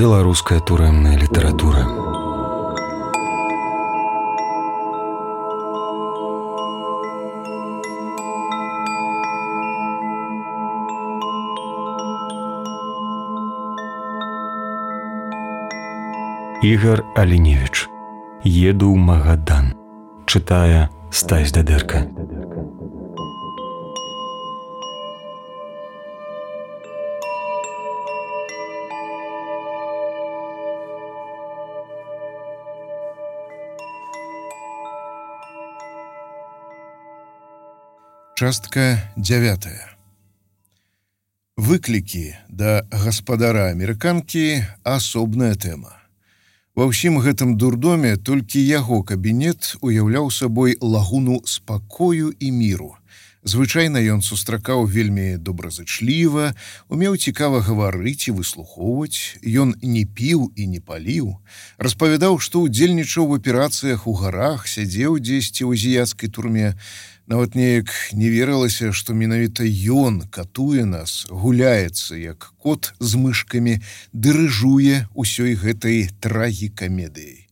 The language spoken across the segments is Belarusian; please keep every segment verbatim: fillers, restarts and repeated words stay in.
Беларуская турэмная літаратура. Ігар Аліневіч. Еду ў Магадан. Чытае Стась Дадэрка. Частка дзявятая. Выклікі да гаспадара амерыканкі асобная тэма. Ва ўсім гэтым дурдоме толькі яго кабінет уяўляў сабой лагуну спакою і міру. Звычайна ён сустракаў вельмі добразычліва, умеў цікава гаварыць і выслухоўваць, ён не піў і не паліў, распавядаў, што ўдзельнічаў в аперацыях у гарах, сядзеў дзесьці ў азіяцкай турме. Нават неяк не верылася, што менавіта ён катуе нас, гуляецца, як кот з мышкамі, дырыжуе ўсёй гэтай трагікамедыяй.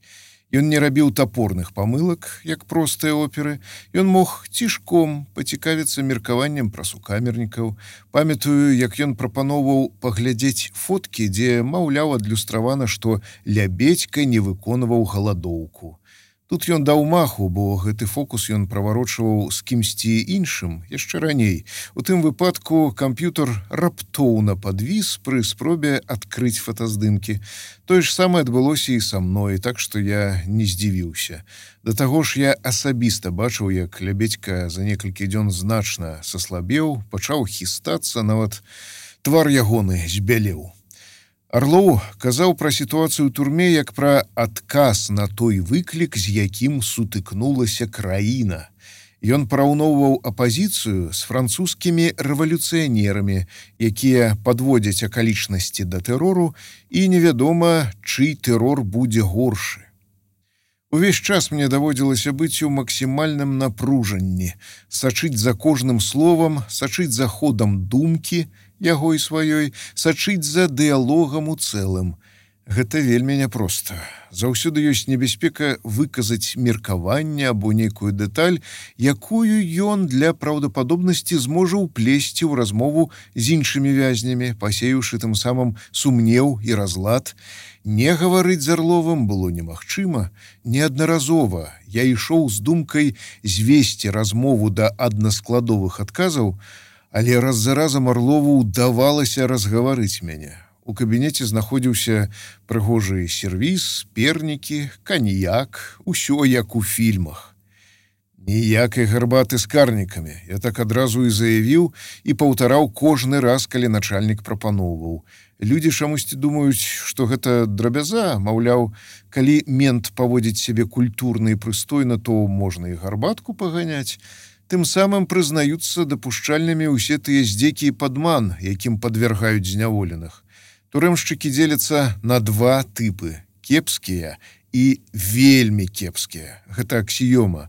Ён не рабіў тапорных памылак, як простыя оперы. Ён мог цішком пацікавіцца меркаваннем пра сукамернікаў. Памятаю, як ён прапаноўваў паглядзець фоткі, дзе, маўляў, адлюстравана, што Лябедзька не выконваў галадоўку. Тут ён даў маху, бо гэты фокус ён праварочваў з кімсьці іншым яшчэ раней. У тым выпадку камп'ютар раптоўна падвіс пры спробе адкрыць фотаздымкі. Тое ж самае адбылося і са мной, так што я не здзівіўся. Да таго ж я асабіста бачыў, як Лябедзька за некалькі дзён значна саслабеў, пачаў хістацца, нават твар ягоны збялеў. Арлоў казаў пра сітуацыю ў турме як пра адказ на той выклік, з якім сутыкнулася краіна. Ён параўноўваў апазіцыю з французскімі рэвалюцыянерамі, якія падводзяць акалічнасці да тэрору, і невядома, чый тэрор будзе горшы. Увесь час мне даводзілася быць у максімальным напружанні, сачыць за кожным словам, сачыць за ходам думкі, яго і сваёй, сачыць за дыялогам у цэлым. Гэта вельмі няпроста. Заўсёды ёсць небяспека выказаць меркаванне або нейкую дэталь, якую ён для праўдападобнасці зможа ўплесці ў размову з іншымі вязнямі, пасеюшы тым самым сумнеў і разлад. Не гаварыць з Арловым было немагчыма. Неаднаразова я ішоў з думкай звесці размову да аднаскладовых адказаў, але раз за разам Арлову ўдавалася разгаварыць мяне. У кабінеце знаходзіўся прыгожы сервіз, пернікі, каньяк, усё як у фільмах. Ніякай гарбаты з карнікамі. Я так адразу і заявіў і паўтараў кожны раз, калі начальнік прапаноўваў. Людзі чамусьці думаюць, што гэта драбяза, маўляў, калі мент паводзіць сябе культурна і прыстойна, то можна і гарбатку паганяць. Тым самым прызнаюцца дапушчальнымі ўсе тыя здзекі і падман, якім падвяргаюць зняволеных. Турэмшчыкі дзеляцца на два тыпы – кепскія і вельмі кепскія. Гэта аксіёма.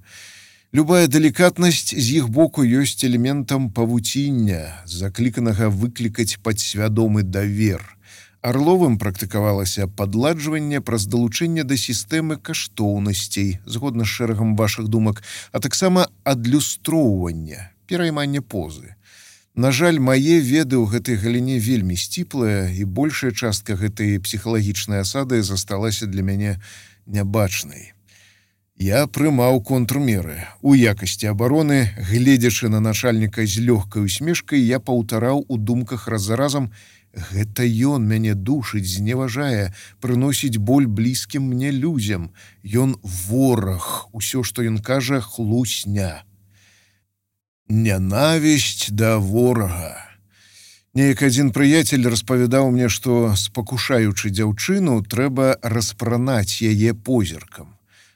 Любая далікатнасць з іх боку ёсць элементам павуціння, закліканага выклікаць падсвядомы давер. Арловым практыкавалася падладжванне праз далучэнне да сістэмы каштоўнасцей, згодна з шэрагам вашых думак, а таксама адлюстроўванне, перайманне позы. На жаль, мае веды ў гэтай галіне вельмі сціплая, і большая частка гэтай псіхалагічнай асады засталася для мяне нябачнай. Я прымаў контрмеры. У якасці абароны, гледзячы на начальніка з лёгкай усмешкай, я паўтараў у думках раз за разам: гэта ён мяне душыць, зневажае, прыносіць боль блізкім мне людзям. Ён вораг, усё, што ён кажа, хлусня. Нянавісць да ворага. Неяк адзін прыяцель распавядаў мне, што, спакушаючы дзяўчыну, трэба распранаць яе позіркам.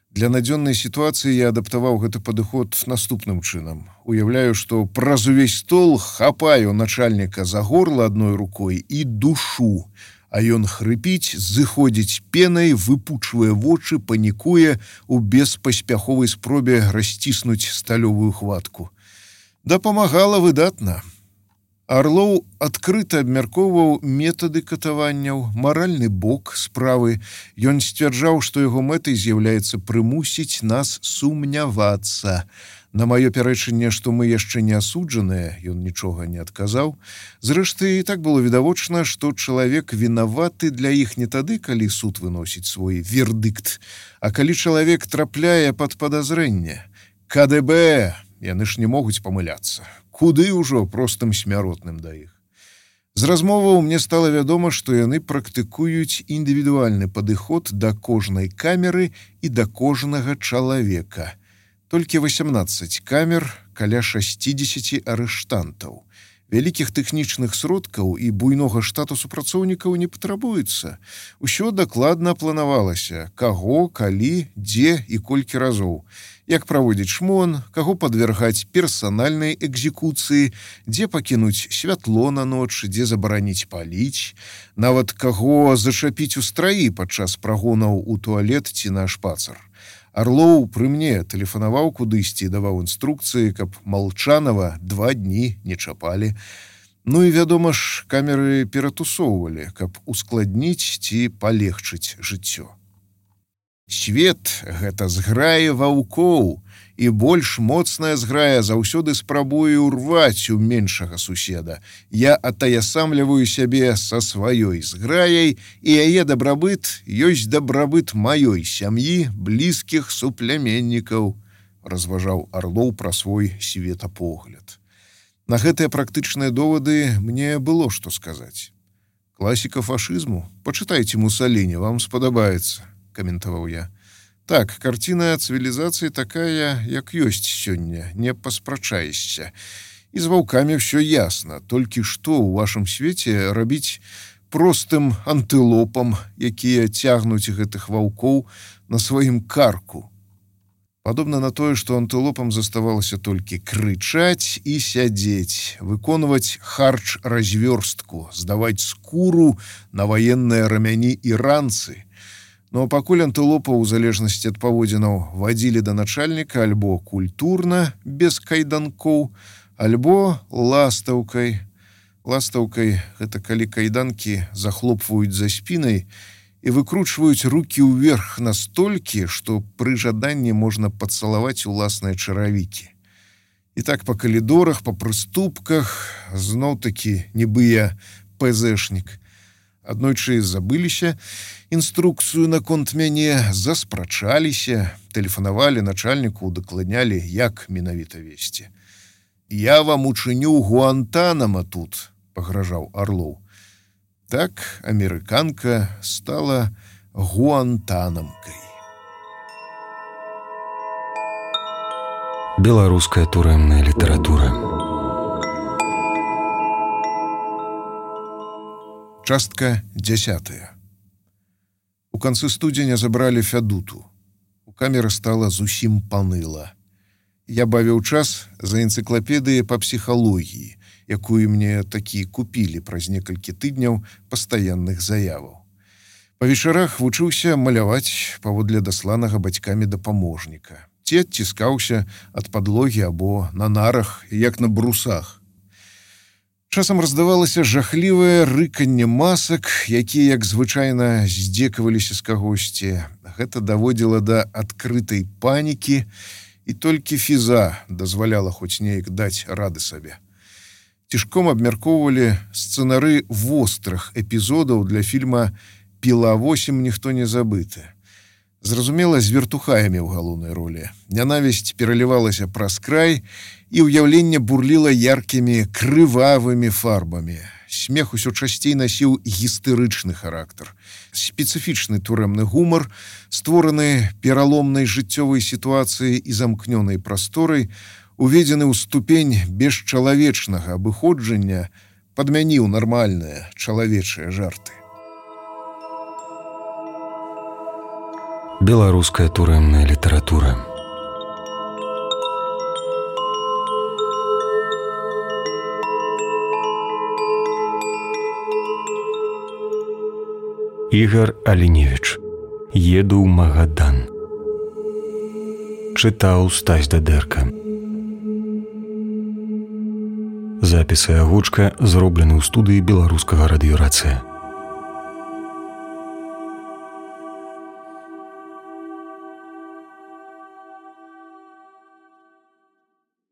Для надзённай сітуацыі я адаптаваў гэты падыход наступным чынам. Уяўляю, што праз увесь стол хапаю начальніка за горла адной рукой і душу, а ён хрыпіць, зыходзіць пенай, выпучвае вочы, панікуе у беспаспяховай спробе расціснуць сталёвую хватку. Дапамагала выдатна. Арлоў адкрыта абмяркоўваў метады катаванняў, маральны бок справы. Ён сцвярджаў, што яго мэтай з'яўляецца прымусіць нас сумнявацца. На маё пярэчанне, што мы яшчэ не асуджаныя, ён нічога не адказаў. Зрэшты, і так было відавочна, што чалавек вінаваты для іх не тады, калі суд выносіць свой вердыкт, а калі чалавек трапляе пад падазрэнне. ка дэ бэ, яны ж не могуць памыляцца. Куды ўжо простым смяротным да іх. З размоваў мне стала вядома, што яны практыкуюць індывідуальны падыход да кожнай камеры і да кожнага чалавека. Толькі васямнаццаць камер, каля шасцідзесяці арыштантаў. Вялікіх тэхнічных сродкаў і буйнога штату супрацоўнікаў не патрабуецца. Усё дакладна планавалася, каго, калі, дзе і колькі разоў. Як праводзіць шмон, каго падвяргаць персанальнай экзекуцыі, дзе пакінуць святло на ноч, дзе забараніць паліць, нават каго зачапіць у страі падчас прагонаў у туалет ці на шпацар. Арлоў пры мне тэлефанаваў кудысьці і даваў інструкцыі, каб Малчанова два дні не чапалі. Ну і, вядома ж, камеры ператусоўвалі, каб ускладніць ці палегчыць жыццё. Свет — гэта зграя ваўкоў, і больш моцная зграя заўсёды спрабуе ўрваць у меншага суседа. Я атаясамліваю сябе са сваёй зграяй, і яе дабрабыт ёсць дабрабыт маёй сям'і, блізкіх супляменнікаў, разважаў Арлоў пра свой светапогляд. На гэтыя практычныя довады мне было што сказаць. Класіка фашызму? Пачытайце Мусаліні, вам спадабаецца, каментаваў я. Так, карціна цывілізацыі такая, як ёсць сёння, не паспрачаешся. І з ваўкамі ўсё ясна, толькі што ў вашым свеце рабіць простым антылопам, якія цягнуць гэтых ваўкоў на сваім карку. Падобна на тое, што антылопам заставалася толькі крычаць і сядзець, выконваць харч-развёрстку, здаваць скуру на ваенныя рамяні і ранцы. Но пакуль антылопаў, у залежнасці ад паводзінаў, вадзілі да начальніка альбо культурна, без кайданкоў, альбо ластаўкай. Ластаўкай — гэта калі кайданкі захлопваюць за спінай і выкручваюць рукі ўверх настолькі, што пры жаданні можна пацалаваць уласныя чаравікі. І так па калідорах, па прыступках, зноў-такі нібы я пэзэшнік. Аднойчы забыліся інструкцыю наконт мяне, заспрачаліся, тэлефанавалі начальніку, удакладнялі, як менавіта весці. «Я вам учыню Гуантанамо тут», — пагражаў Арлоў. Так амерыканка стала гуантанамкай. Беларуская турэмная літаратура. Частка дзясятая. У канцы студзеня забралі Фядуту. У камеры стала зусім паныла. Я бавіў час за энцыклапедыяй па псіхалогіі, якую мне такі купілі праз некалькі тыдняў пастаянных заяваў. Па вечарах вучыўся маляваць паводле дасланага бацькамі дапаможніка. Ці адціскаўся ад падлогі або на нарах, як на брусах. Часам раздавалася жахлівае рыканне масак, якія, як звычайна, здзекаваліся з кагосьці. Гэта даводзіла да адкрытай панікі, і толькі фіза дазваляла хоць неяк даць рады сабе. Цішком абмяркоўвалі сцэнары вострых эпізодаў для фільма «Піла восем. Ніхто не забыты». Зразумела, з вертухаямі ў галоўнай ролі. Нянавісць пералівалася праз край, і ўяўленне бурліла яркімі, крывавымі фарбамі. Смех усё часцей насіў гістэрычны характар. Спецыфічны турэмны гумар, створаны пераломнай жыццёвай сітуацыяй і замкнёнай прасторай, уведзены ў ступень бесчалавечнага абыходжання, падмяніў нармальныя чалавечыя жарты. Беларуская турэмная літаратура. Ігар Аліневіч. Еду ў Магадан. Чытаў Стась Дадэрка. Запісы агучка зроблены ў студыі беларускага радыёрацыя.